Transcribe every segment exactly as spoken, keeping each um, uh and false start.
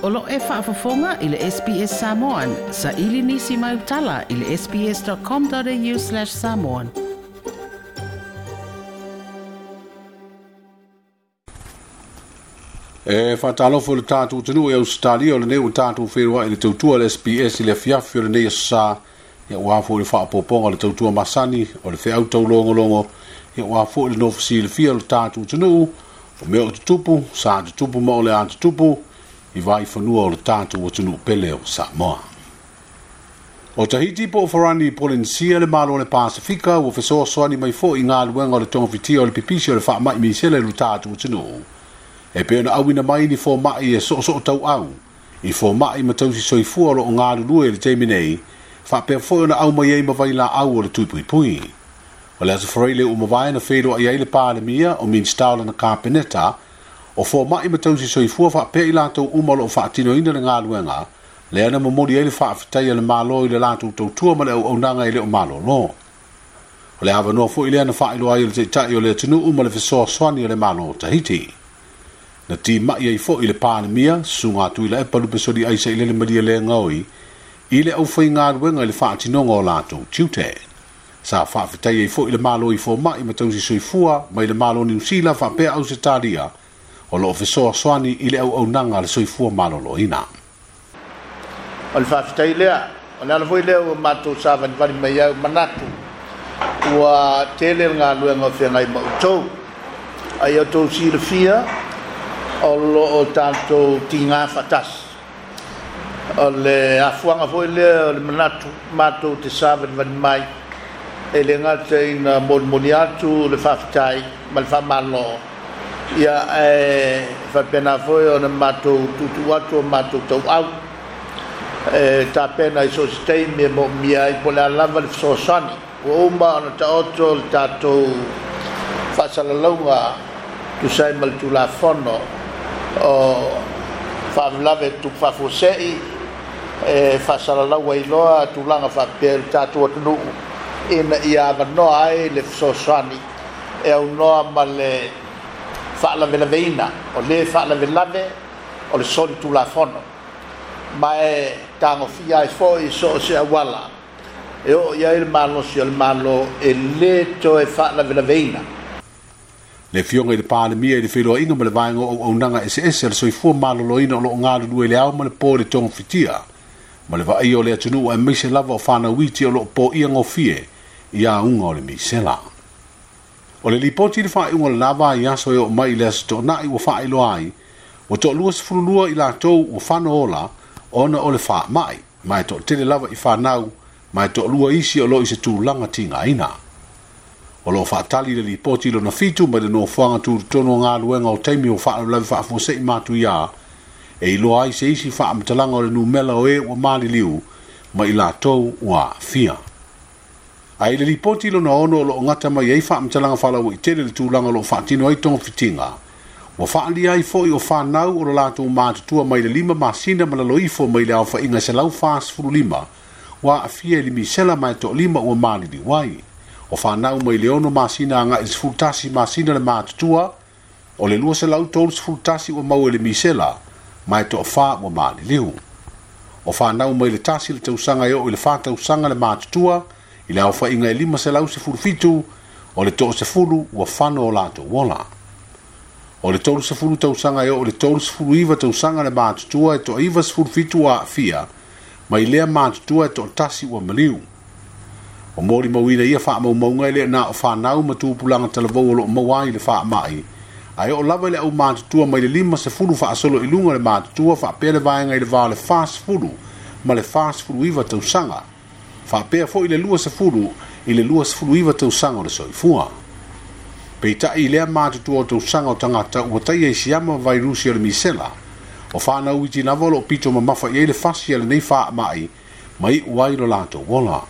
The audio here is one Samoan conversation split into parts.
O lo e faafofoga i le S B S Samoan, sa ili nisi mai utala i le sbs.com.au slash samoan. E whaatalofo le tātou tunu e Australia o le neu tātou whenua i le tautua le S B S i le fiafi o le nei sa ia ua fo le whaapoponga le tautua masani o le wheau taulongolongo ia ua fo le nofisi le fia o le tātou tunu o mea o tutupu, sa tutupu ma o le a tutupu i vai whanua o le tātou o tunu pele o Samoa. O Tahiti po o Farani Polensia le malo le Pasifika ua fesoasoani mai fo i ngā luenga o le tongafitia o le pipisi o le whaamai misele le tātou tunu. E pē na awina mai ni fō mai e so so tau au. I fō mai ma tausi soifua lo o ngā lulue le teimi nei, whaapea fō na au mai ei mawai la au o le tui pui pui. O le aso whareile o mawai na whelo ai ai le pālemia o Minstaula na kāpeneta, o fō mai ma tausi soifua whaapea i lātou uma lo o whaatino ina le ngā luenga, le ana momori ai le whaafitaia le malo i le lātou tautua ma le au aunanga i le o malo lo. O le awanoa fo i le ana whailo ai o le teitai o le atunu uma le fesoasoani o le malo o Tahiti. Na ti mai ai fo i le pālemia, sunga atu i la epa lupe soli aisa i lele maria le ngaoi, i le au whai ngā ruenga i le whaatinonga o lātou tiute. Sa whaafetai ai fo i le malo i fo mai ma tausi soifua, mai le malo Niu Sila whaapea au se tāria, o loo fesoasoani i le au aunanga le soifua maloloina. O le whaafetai lea, o le ala foi lea ua mātou savanivani mai au manatu, ua tele ngā luenga o whengai mautou. Ai au tau silafia, o lo o tātou tingā whatasi. O le afuanga foi lea o le manatu mātou te savanivani mai, e le ngata ina molimoli atu le whaafetai ma le whamalo. Ia e whapena foi o na mātou tutu atu o mātou tau au. E tāpena i so se teimi e mo mia i po le alava le fesoasoani. Ua uma ona taoto le tātou whaasalalaunga tusai ma le tulafono o whaavilave tu whaafosei e whaasalalaua i loa tulaga whaapea le tātou atunuu ina ia awanoa ai le fesoasoani e aunoa ma le whaalavelaveiina o le whaalavelave o le soli tulafono ma e tagofia ai foi so o se auala e oo i ai le malosi o le malo e lē toe faalavelaveiina. Le fionga i le pālemia i le wheloainga ma le vaenga o aunaga S S le soifua maloloina o loo galulue le ao ma le pō le tongafitia ma le vaai o le atunuu e meise lava o whanauiti o loo pō ia ngofie i a unga o le misela. O le lipoti le whaeunga le lava i aso e o mai le aso tōnai ua whaeloa ai, ua to'alua sefululua i lātou ua whano ola ona o le whaamai, mai to tele lava i whanau, mai to'alua isi o lo i se tūlanga tingaina. O lo whaatali le lipoti lona fitu mai le nofoanga tūrutono ngā luenga o teimi o whaalaulawi whaafosei mātu ia, e iloa ai se isi whaamatalanga o le numela o e ua maliliu, mai lātou ua fia. Ai le lipoti lona ono o lo ngata mai ei whaamatalanga whalau i tele le tūlanga o lo whaatino ai tonga fitinga. Ua whaalia ai foi o whanau o lo lātou mātutua mai le lima masina ma lalo ifo mai le au whainga se lau whaasfuru lima, ua afia i le misela mai to lima ua malili wai. O whanau mai le ono masina anga i sefulutasi masina le mātutua, o le lua se lau tolu sefulutasi ua mau e le misela, mai to wha ua maliliu. O whanau mai le tasi le tausanga e o i le whatausanga le mātutua, i le au whainga e lima se lau sefulufitu, o le too sefulu ua whano o lātou wola. O le tolu sefulu tausanga e o le tolu sefulu iwa tausanga le mātutua e to iwa sefulufitu ua afia, mai lea mātutua e to tasi ua maliu. O mori mauina ia whaamaumaunga e lea nā o whanau matupulanga talavau o loo mauai le whaamai. Ai o lava le au mātutua mai le lima sefulu whaasolo i lunga le mātutua whaapea le vaenga i le vā le wha sefulu ma le wha sefulu iwa tausanga. Whaapea fo i le lua sefulu i le lua sefulu iwa tausanga o le soifua. Peitai i lea mātutua o tausanga o tangata ua taia i siama vairusi o le misela. O whanau iti lava o loo pito mamafa i ei le fasi a le nei whaamai mai uai lo lātou wola.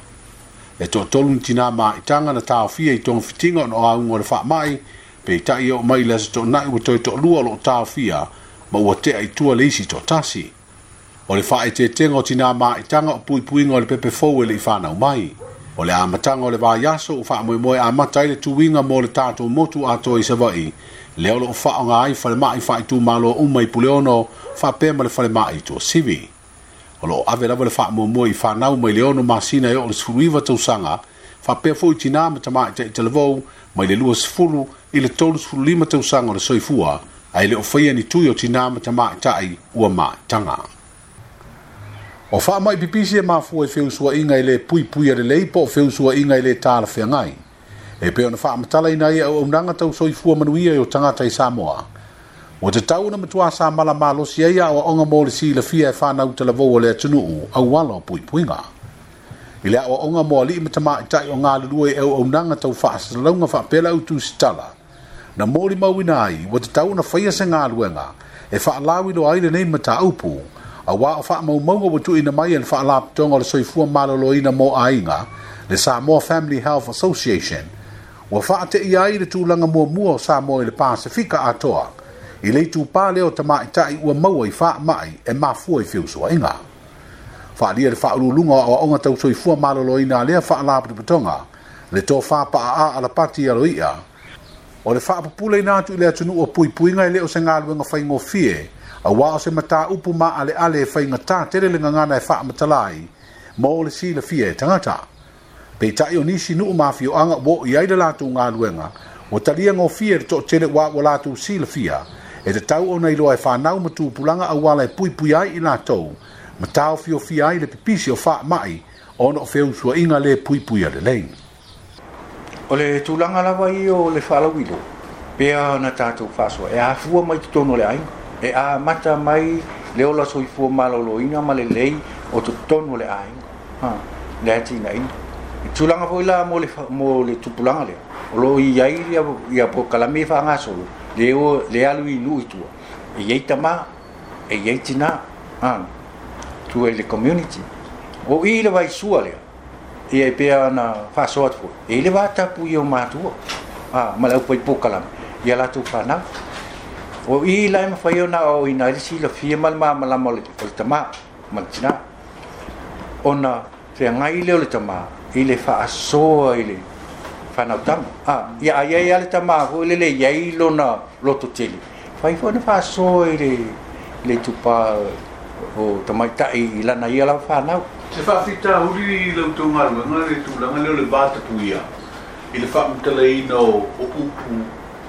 E to tolu ni tina maitanga na taofia i tonga fitinga o no aunga o le whaamai, peitai o mai le aso tōnai ua toi to'alua o loo taofia ma ua tea i tua le isi to'atasi. O le whaetetenga o tina maitanga o puipuinga o le pepe fou e le i whanau mai. O le amatanga o le vaiaso o whaamoemoe amata ai le tuinga mō le tātou motu atoa i Savaii Lea o loo faaaoga ai falemai faaitumalo uma i Puleono faapea ma le falemai i Tuasivi. O loo ave lava le faamuamua i fanau mai le ono masina e oo le sefuluiva tausaga faapea foi tinā ma tamaitai talavou mai le lua sefulu i le tolu sefulu lima tausaga o le soifua ae le o faia ni tui o tinā ma tamaitai ua maitaga. O faamai pipisi e mafua i feusuaiga i le puipuia lelei po o feusuaiga i le talafeagai. E pei ona faamatalaina ai auaunaga tau soifua manuia i o tagata i Samoa. Ua tatau ona matua sa mala malosi ai aoaoga mo le silafia e fanau talavou o le atunuu auala o puipuiga. I le aoaoga mo alii ma tamaitai o galulue i auaunaga tau faasalalauga faapea le autusitala. Na molimauina ai ua tatau ona faia se galuega e faalauiloa ai lenei mataupu auā o faamaumauga ua tuuina mai e le Faalapotopotoga o le Soifua Maloloina mo Aiga, le Samoa Family Health Association, ua faateia ai le tulaga muamua o Samoa i le Pasefika atoa i le itupā lea o tamaitai ua maua i faamai e mafua i feusuaiga. Faaalia le faauluuluga o aoaoga tau soifua maloloina a lea faalapotopotoga, le tofa paaa Alapati Aloia, o le faapupuleina atu i le atunuu o puipuiga e le o se galuega faigofie, auā o se mataupu maaleale e faigata tele le gagana e faamatala ai mo le silafia e tagata. Peitai o nisi nuu ma afioaga ua oo i ai le latou galuega, ua talia gofie e le toatele ua ua latou silafia, e tatau ona iloa e fanau ma tupulaga auala e puipuia ai i latou, ma taofiofia ai le pipisi o faamai ona o feusuaiga le puipuia lelei. O le tulaga lava ia o le faalauiloa, pea ona tatou faasoa, e afua mai totonu o le aiga, e amata mai le ola soifua maloloina ma lelei o totonu o le aiga, ha, le atinaeina. I tulaga foi la mo le, mo le tupulaga lea, o loo i ai ia, ia polokalame faagasolo, le, o, le alu i nuu i tua, e i ai tamā, e i ai tinā, ha, tua i le community. O i le vaisua lea, ia e pea ona faasoa atu foi, e i le vatapu ia o matua, ha, ma le aupai polokalame, ia latou fanau. O i la e mafai ona aoaoina ai le silafia ma le malamalama o le, o le tamā ma le tinā. Ona feagai lea o le tamā i le faasoa i le fanau tama. Ah, ia ai ai le tamā foi lele i ai lona loto tele. Fai foi ona faasoa i le, le tupa o tamaitai i lana ia lava fanau. Se faafitauli i la outou galuega le tulaga lea o le vatapuia i le faamatalaina o o upu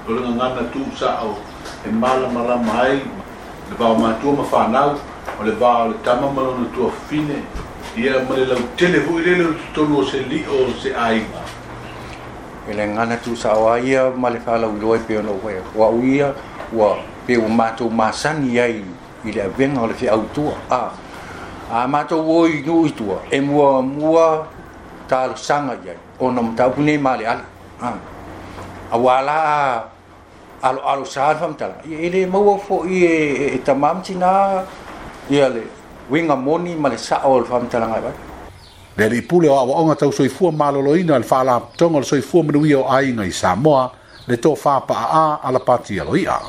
o le gagana tuusao e malamalama ai le va o matua ma fanau, o le va o le tama ma lona tuafafine, ia ma le lautele foi lele o totonu o se lio o se aiga. E le gagana tuusao ai ia ma le faalauiloa e pei ona ou fai atu. O au ia ua pei ua matou masani ai i le avega o le feautua. A, a matou o i nuu i tua, e muamua talosaga i ai, ona o mataupu nei maaleale. A, auā la aloalo sa le faamatalaga, ia e le maua foi e, e, e tamā ma tinā ia le uiga moni ma le sao o le faamatalaga e avatu. Le alii pule o aoaoga tau soifua maloloina a le Faalapotopotoga o le Soifua Manuia o Aiga i Samoa, le tofa paaa Alapati Aloia.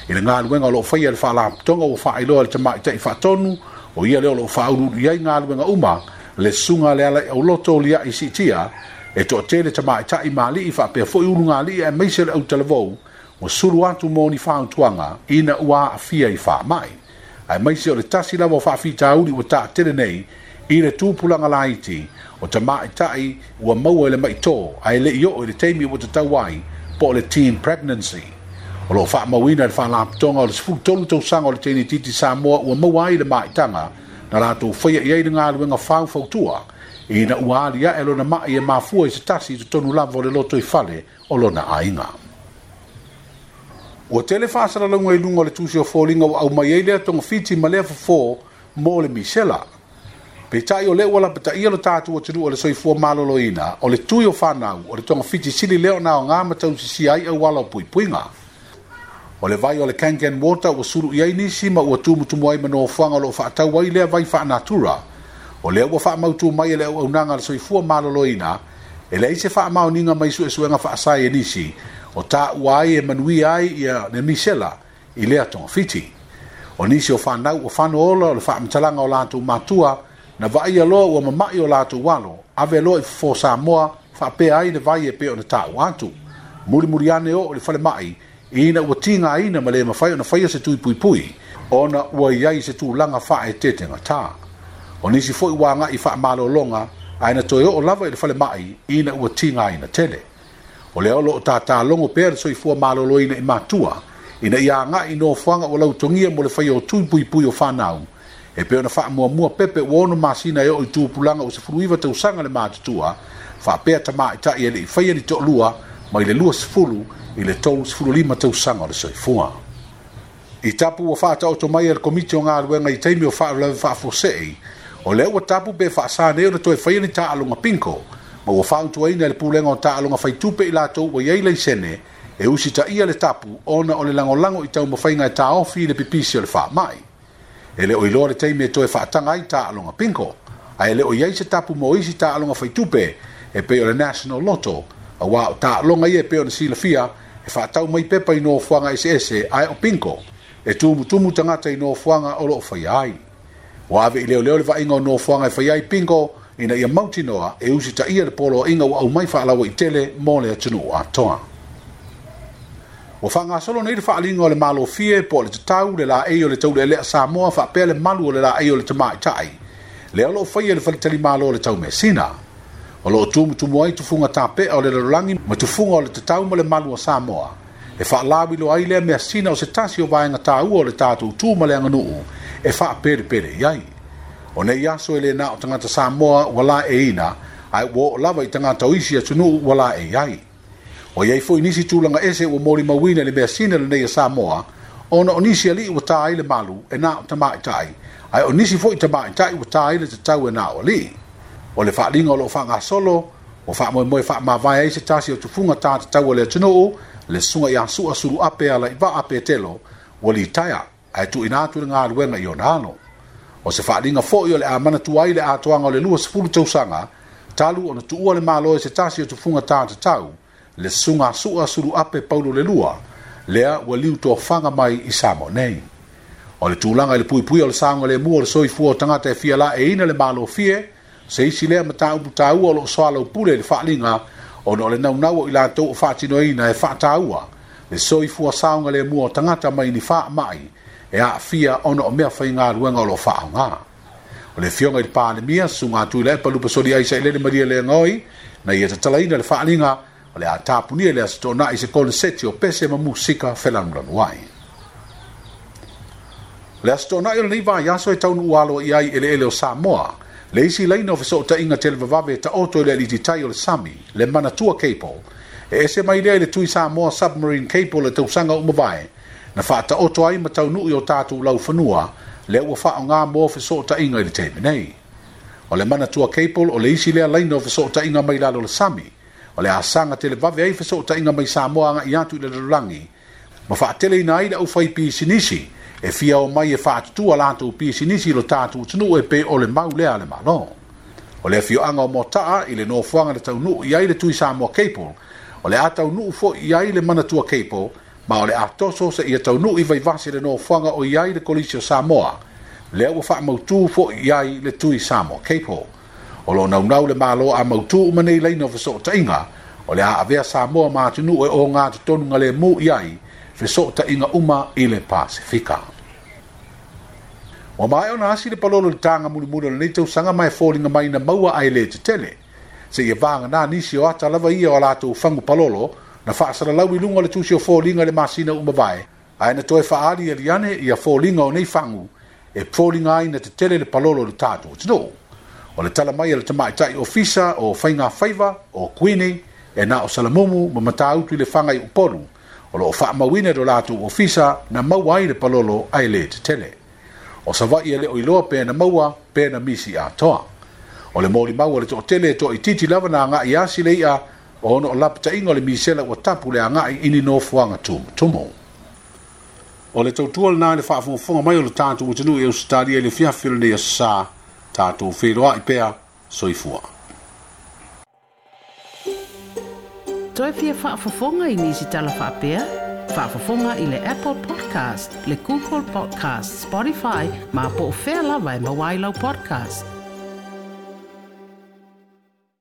I le galuega o loo faia e le Faalapotopotoga ua faailoa e le tamaitai faatonu, o ia lea o loo faauluulu i ai galuega uma, le susuga le ala i auloto o liai siitia, e toatele tamaitai ma alii faapea foi ulugalii aemaise le autalavou ua sulu atu mo ni fautuaga ina ua aafia i faamai. Aemaise o le tasi lava o faafitauli ua taatele nei i le tupulaga laiti o tamaitai ua maua i le maitō ae le i oo i le taimi ua tatau ai po o le teen pregnancy. O loo faamauina e le Faalapotopotoga o le sefulu tolu tausaga o le teine itiiti Samoa ua maua ai le maitaga na latou faia i ai le galuega faufautua ina ua aliae lona mai e mafua i se tasi i totonu lava o le lotoifale o lona aiga. Ua tele faasalalauga i luga o le tusi o foliga ua aumai ai lea togafiti ma lea fofo mo le misela. Peitai o lea ua lapataia lo tatou atunuu e le soifua maloloina, o le tui o fanau, o le togafiti sili lea ona aoga ma tausisia ai auala o puipuiga. O le vai o le Kangen Water ua sulu i ai nisi ma ua tumutumu ai ma nofoaga o loo faatau ai lea vai faanatura. O lea ua faamautu mai e le auaunaga a le soifua maloloina, e leai se faamaoniga mai suesuega faasaienisi o taua ai e manuia ai ia le misela i lea togafiti. O nisi o fanau ua fano ola o le faamatalaga o latou matua na vaaia loa ua mama'i o latou alo, ave loa i fofo Samoa faapea ai le vai e pei ona taua atu. Mulimuli ane oo i le falemai Ina ua tigaina ma le mafai ona faia se tui puipui ona ua i ai se tulaga faaeteetegatā. O nisi foi ua agai faamalologa ae na toe oo lava i le falemai ina ua tigaina tele. O lea o loo tatalogo pea le soifua maloloina i matua ina ia agai i nofoaga ua lautogia mo le faia o tui puipui o fanau e pei ona faamuamua pepe ua ono masina e oo i tupulaga ua sefuluiva tausaga le matutua faapea tamaʻitaʻi e leʻi faia ni toʻalua mai le luasefulu i le tolusefululima tausaga o le soifua. I tapu ua faataoto mai e le Komiti o Galuega i taimi o faalavelave faafuasei, o lea ua tapu pe faasā nei ona toe faia ni taaloga pinko, ma ua fautuaina e le Pulega o Taaloga Faitupe i latou ua i ai laisene e usitaia le tapu ona o le lagolago i taumafaiga e taofi i le pipisi o le faamai. E le o iloa le taimi e toe faataga ai taaloga pinko, ae le o i ai se tapu mo isi taaloga faitupe e pei o le National Lotto, auā o taaloga ia e pei ona silafia e faatau mai pepa i nofoaga eseese ae o pinko e tumutumu tagata i nofoaga o loo faia ai. Ua ave i leoleo le vaaiga o nofoaga e faia ai pinko ina ia mautinoa e usitaia le poloaiga ua aumai faalauaitele mo le atunuu atoa. Ua faagasolo nei le faaaliga o le malofie po o le tatau le laei o le taulealea Samoa faapea le malu o le laei o le tamaʻitaʻi lea o loo faia i le faletalimalo o le Taumeasina. O loo tumutumu ai tufuga tapea o le lalolagi ma tufuga o le tatau ma le malu o Samoa e faalauiloa ai lea measina o se tasi o vaega taua o le tatou tu ma le aganuu e faapelepele i ai. O nei aso e le na o tagata Samoa ua laeiina ae ua oo lava i tagata o isi atunuu ua laei ai. O iai foi nisi tulaga ese ua molimauina i le measina lenei a Samoa ona o nisi alii ua ta ai le malu e na o tamaʻitaʻi ae o nisi foi tamaʻitaʻi ua ta ai le tatau e na o alii. O le faaaliga o loo faagasolo ua faamoemoe faamavae ai se tasi o tufuga ta tatau o le atunuu le susuga ia Sua Suluape Alaivaa Petelo ua litaea ae tuuina atu le galuega i ona alo. O se faaaliga foi o le a manatua ai le atoaga o le luasefulu tausaga talu ona tuua le Malo e se tasi o tufuga ta tatau le susuga Sua Suluape Paulo le Lua lea ua liutofaga mai i Samoa nei. O le tulaga i le puipuia o le saogalemu o le soifua o tagata e fia laeiina le malofie se isi lea mataupu taua o loo soalaupule i le faaaliga ona o le naunau o i latou o faatinoina e faataua le soifua saogalemu o tagata mai ni faamai e aafia ona o mea faigaluega o loo faaaoga. O le afioga i le Palemia susuga Tuilaepa Lupasoli ai Sailele Maria Leagai na ia tatalaina le faaaliga o le a tapunia le aso Toonai se koneseti o pese ma musika felanulanu ai. O le aso Toonai o lenei vaiaso e taunuu aloa i ai eleele o Samoa le isi laina o fesootaiga televavave e taoto i le alititai o le sami, le Manatua Cable, e ese mai lea i le tui Samoa Submarine Cable le tausaga ua mavae, na faataoto ai ma taunuu i o tatou laufanua lea ua faaaoga mo fesootaiga i le taimi nei. O le Manatua Cable o le isi lea laina o fesootaiga mai lalo o le sami, o le asaga televave ai fesootaiga mai Samoa agai atu i le lalolagi, ma faateleina ai le aufai pisinisi e fia o mai e faatutua latou pisinisi i lo tatou atunuu e pei o le mau lea a le Malo. O le afioaga o Moataa i le nofoaga na taunuu i ai le tui Samoa Cable, o le a taunuu foi i ai le Manatua Cable, ma o le a toso seia taunuu i Vaivase le nofoaga o i ai le Kolisi o Samoa, lea ua faamautū foi i ai le tui Samoa Cable. O loo naunau le Malo a mautū uma nei laina o fesootaiga, o le a avea Samoa ma atunuu e ogatotonu galemu i ai fesootaiga uma i le Pasefika. Ua maea ona asi le palolo i le taga mulimuli o lenei tausaga ma e foliga mai na maua ae le tetele. Seia vagana nisi o ata lava ia o a latou fagu palolo na faasalalau i luga o le tusi o foliga i le masina ua mavae, ae na toe faaaliali ane ia foliga o nei fagu e foliga ai na tetele le palolo i le tatou atunuu. O le tala mai a le tamaitai ofisa o Faiga Faiva o Kuini e na o Salamumu ma Matautu i Lefaga i Upolu o loo faamauina i lo latou ofisa na maua ai le palolo ae le tetele. O Savaii e le o iloa pe na maua pe na misi atoa. O le molimau a le toatele e toaitiiti lava na agai asi le i'a ona o lapataiga o le misela ua tapu le agai i ni nofoaga tumutumu. O le tautua lena i le faafogafoga mai o le tatou atunuu i Ausetalia i le afiafi o lenei aso Sa, tatou feiloai pea, soifua. Toe fia faafofoga i nisi tala faapea? Faafofoga i le Apple Podcast, le Google Podcast, Spotify, ma po o fea lava e maua ai lau podcast.